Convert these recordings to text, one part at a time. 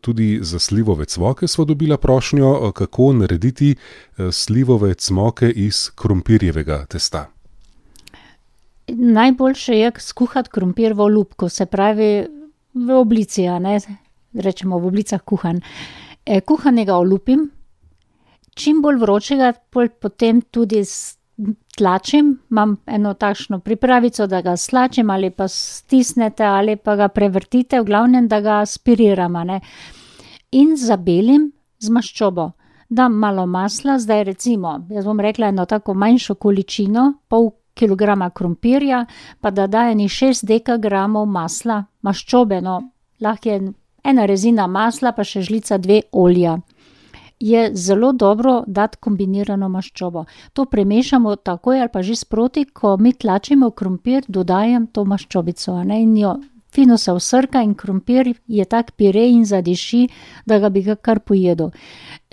Tudi za slivove cmoke sva dobila prošnjo, kako narediti slivove cmoke iz krompirjevega testa. Najboljše je skuhati krompir v olupku, se pravi v oblici, a ne, rečemo v oblicah kuhan. Kuhanega olupim, čim bolj vročega, potem tudi tlačim, imam eno takšno pripravico, da ga stlačim ali pa stisnete ali pa ga prevrtite, v glavnem, da ga spiriram, a ne. In zabelim z maščobo. Dam malo masla, zdaj recimo, jaz bom rekla eno tako manjšo količino, pol kilograma krompirja, pa da da enih 6 dekagramov masla, maščobe, no, lahko je ena rezina masla, pa še žlica 2 olja. Je zelo dobro dati kombinirano maščobo. To premešamo takoj ali pa že sproti, ko mi tlačimo krompir, dodajam to maščobico, a ne, in jo fino se vsrka in krompir je tak pire in zadiši, da ga bi ga kar pojedel.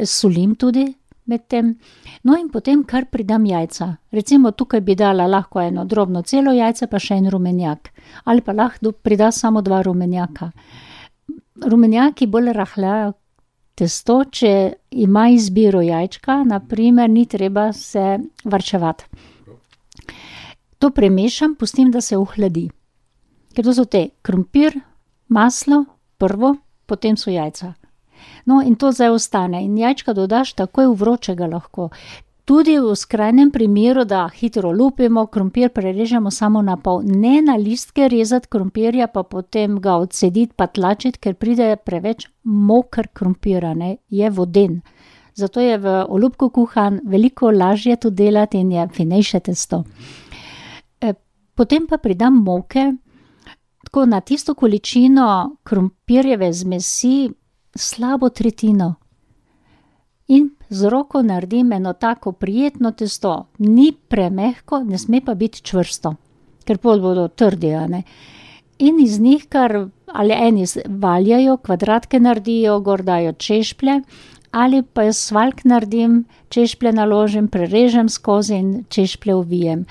Solim tudi med tem. No, in potem kar pridam jajca. Recimo tukaj bi dala lahko eno drobno celo jajce, pa še en rumenjak. Ali pa lahko prida samo 2 rumenjaka. Rumenjaki bolj rahljajo testo, če ima izbiro jajčka, na primer, ni treba se varčevati. To premešam, pustim, da se ohladi. Ker to so te krompir, maslo, prvo, potem so jajca. No, in to zdaj ostane. In jajčka dodaš takoj v vročega lahko. Tudi v skrajnem primeru, da hitro lupimo, krompir prerežemo samo na pol. Ne na listke rezati krompirja, pa potem ga odcediti pa tlačiti, ker pride preveč moker krompir, ne, je voden. Zato je v olupku kuhan veliko lažje to delati in je finejše testo. Potem pa pridam moke, tako na tisto količino krompirjeve zmesi slabo tretjino. In z roko naredim eno tako prijetno testo. Ni premehko, ne sme pa biti čvrsto, ker pol bodo trdi, a ne. In iz njih kar, ali eni valjajo, kvadratke naredijo, gor dajo češplje, ali pa jaz svaljk naredim, češplje naložim, prerežem skozi in češplje uvijem.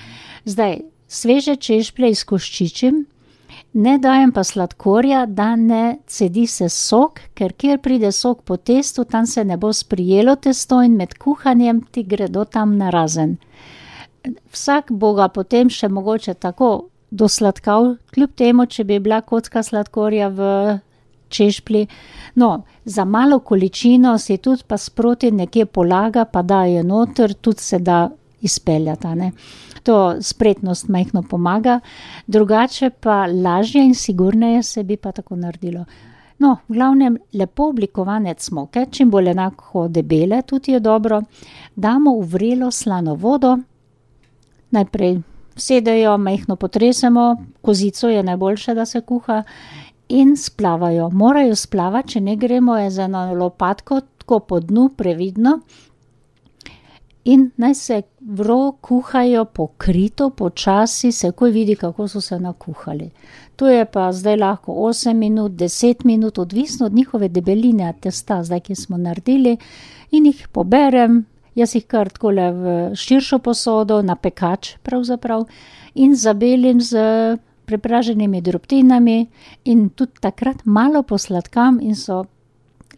Zdaj, sveže češplje izkoščičim, ne dajem pa sladkorja, da ne cedi se sok, ker kjer pride sok po testu, tam se ne bo sprijelo testo in med kuhanjem ti gredo tam narazen. Vsak bo ga potem še mogoče tako dosladkal, kljub temu, če bi bila kocka sladkorja v češplji. No, za malo količino si tudi pa sproti nekje polaga, pa daje noter, tudi se da izpeljati, ne. To spretnost majhno pomaga, drugače pa lažje in sigurneje se bi pa tako naredilo. No, v glavnem lepo oblikovane cmoke, čim bolj enako debele, tudi je dobro, damo v vrelo slano vodo, najprej sedejo, majhno potresemo, kozico je najboljše, da se kuha, in splavajo. Morajo splavati, če ne gremo z eno lopatko, tako po dnu, previdno, in naj se kuhajo pokrito, počasi, se takoj vidi, kako so se nakuhali. To je pa zdaj lahko 8 minut, 10 minut, odvisno od njihove debeline testa, zdaj, ki smo naredili, in jih poberem, jaz jih kar takole v širšo posodo, na pekač pravzaprav, in zabelim z prepraženimi drobtinami in tudi takrat malo posladkam in so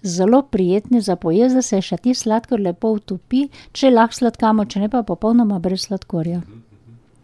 zelo prijetni za pojesti, da se še ti sladkor lepo utopi, če lahko sladkamo, če ne pa popolnoma brez sladkorja.